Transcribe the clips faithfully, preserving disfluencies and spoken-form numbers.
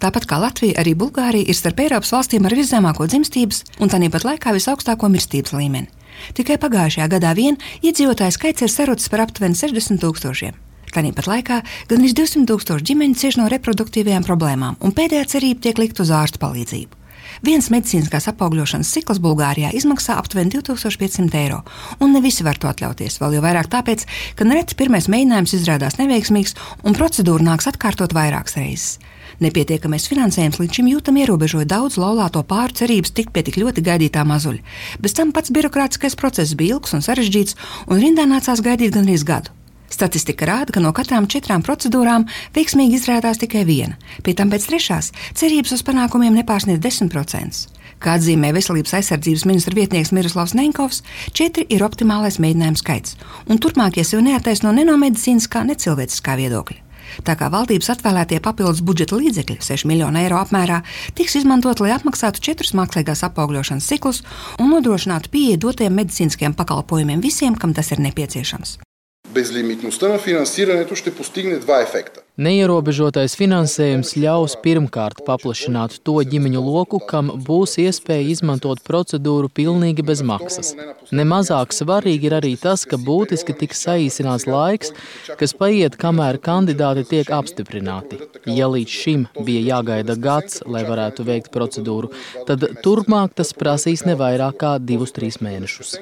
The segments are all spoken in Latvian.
Tāpat kā Latvija, arī Bulgārija ir starp Eiropas valstīm ar viszemāko dzimstības un tāpat laikā visaugstāko mirstības līmeni. Tikai pagājušajā gadā vien iedzīvotāju skaits ir sarucis par aptuveni sešdesmit tūkstošiem. Tāpat laikā gandrīz divsimt tūkstoši ģimeņu cieš no reproduktīvajām problēmām, un pēdējā cerība tiek likt uz ārstu palīdzību. Viens medicīniskās apaugļošanas cikls Bulgārijā izmaksā aptuveni divi tūkstoši piecsimt eiro, un ne visi var to atļauties, vēl jau vairāk tāpēc, ka nereti pirmais mēģinājums izrādās neveiksmīgs, un procedūru nāks atkārtot vairākas reizes. Nepietiekamais finansējums līdz šim jūtam ierobežoja daudz laulāto pāru cerības tikt pie tik ļoti gaidītā mazuļa. Bez tam pats birokrātiskais process bija ilgs un sarežģīts, un rindā nācās gaidīt gandrīz gadu. Statistika rāda, ka no katrām četrām procedūrām veiksmīgi izrādās tikai viena, pie tam pēc trešās cerības uz panākumiem nepārsniedz desmit procentus. Kā atzīmē Veselības aizsardzības ministra vietnieks Miroslavs Neņkovs, četri ir optimālais mēģinājumu skaits, un turpmākie sev neattaisno ne no medicīniskā, ne cilvēciskā viedokļa. Tā kā valdības atvēlētie papildus budžeta līdzekļi seši miljoni eiro apmērā tiks izmantot, lai apmaksātu četrus mākslīgās apaugļošanas ciklus un nodrošinātu pieeju dotiem medicīniskiem pakalpojumiem visiem, kam tas ir nepieciešams. Безлимитността на финансирането ще постигне два ефекта. Neierobežotais finansējums ļaus pirmkārt paplašināt to ģimeņu loku, kam būs iespēja izmantot procedūru pilnīgi bez maksas. Nemazāk svarīgi ir arī tas, ka būtiski tiks saīsināts laiks, kas paiet, kamēr kandidāti tiek apstiprināti. Ja līdz šim bija jāgaida gads, lai varētu veikt procedūru, tad turpmāk tas prasīs ne vairāk kā divus, trīs mēnešus.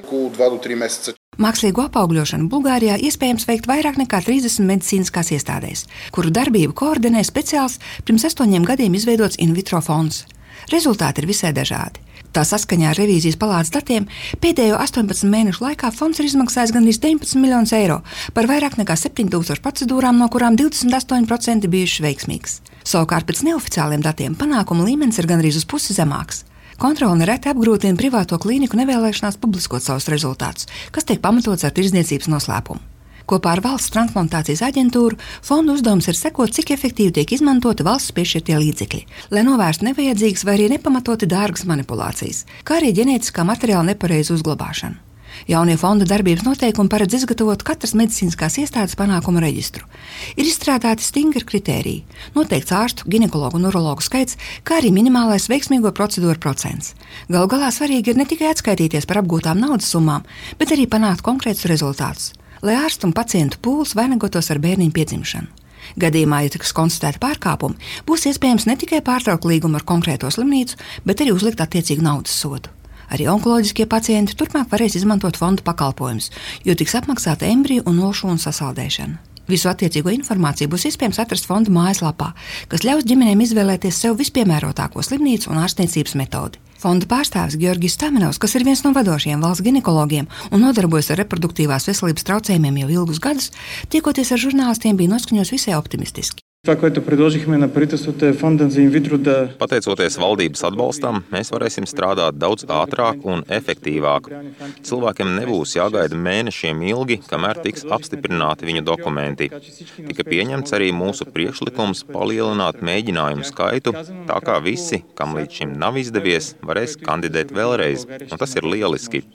Mākslīgo apaugļošanu Bulgārijā iespējams veikt vairāk nekā trīsdesmit medicīniskās iestādēs, kuru darbību koordinē speciāls pirms astoņiem gadiem izveidots in vitro fonds. Rezultāti ir visai dažādi. Tā saskaņā ar revīzijas palātas datiem pēdējo astoņpadsmit mēnešu laikā fonds ir izmaksājis gandrīz deviņpadsmit miljonus eiro par vairāk nekā septiņi tūkstoši procedūrām, no kurām divdesmit astoņi procenti bijušas veiksmīgas. Savukārt pēc neoficiāliem datiem panākuma līmenis ir gandrīz uz pusi zemāks. Kontrole nereti apgrūtina privāto klīniku nevēlēšanās publiskot savus rezultātus, kas tiek pamatots ar tirdzniecības noslēpumu. Kopā ar valsts transplantācijas aģentūru fondu uzdevums ir sekot, cik efektīvi tiek izmantoti valsts piešķirtie līdzekļi, lai novērstu nevajadzīgas vai arī nepamatoti dārgas manipulācijas, kā arī ģenētiskā materiāla nepareizu uzglabāšanu. Jaunie fonda darbības noteikumi paredz izgatavot katras medicīniskās iestādes panākumu reģistru. Ir izstrādāti stingri kritēriji, noteikts ārstu, ginekologu un urologu skaits, kā arī minimālais veiksmīgo procedūru procents. Galu galā svarīgi ir ne tikai atskaitīties par apgūtām naudas summām, bet arī panākt konkrētus rezultātus, lai ārstu un pacientu pūls vainagotos ar bērniņu piedzimšanu. Gadījumā, ja tiks konstatēti pārkāpumi, būs iespējams ne tikai pārtraukt līgumu ar konkrēto slimnīcu, bet arī uzlikt attiecīgu naudas sodu. Arī onkoloģiskie pacienti turpmāk varēs izmantot fonda pakalpojumus, jo tiks apmaksāta embriju un nošūnu sasaldēšana. Visu attiecīgo informāciju būs iespējams atrast fonda mājaslapā, kas ļaus ģimenēm izvēlēties sev vispiemērotāko slimnīcu un ārstniecības metodi. Fonda pārstāvis Georgijs Stamenovs, kas ir viens no vadošajiem valsts ginekologiem un nodarbojas ar reproduktīvās veselības traucējumiem jau ilgus gadus, tiekoties ar žurnālistiem, bija noskaņots visai optimistiski. Pateicoties valdības atbalstam, mēs varēsim strādāt daudz ātrāk un efektīvāk. Cilvēkiem nebūs jāgaida mēnešiem ilgi, kamēr tiks apstiprināti viņu dokumenti. Tika pieņemts arī mūsu priekšlikums palielināt mēģinājumu skaitu, tā kā visi, kam līdz šim nav izdevies, varēs kandidēt vēlreiz, un tas ir lieliski.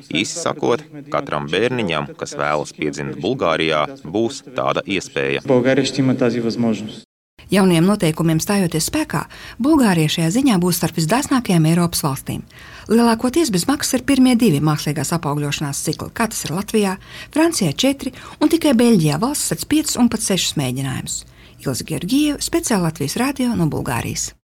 Īsi sakot, katram bērniņam, kas vēlas piedzimt Bulgārijā, būs tāda iespēja. Jauniem noteikumiem stājoties spēkā, Bulgārija šajā ziņā būs starp visdāsnākajām Eiropas valstīm. Lielākoties bez maksas ir pirmie divi mākslīgās apaugļošanās cikli, kā tas ir Latvijā, Francijā četri un tikai Beļģijā valsts sedz piecus un pat sešus mēģinājumus. Ilze Georgieva, speciāli Latvijas radio no Bulgārijas.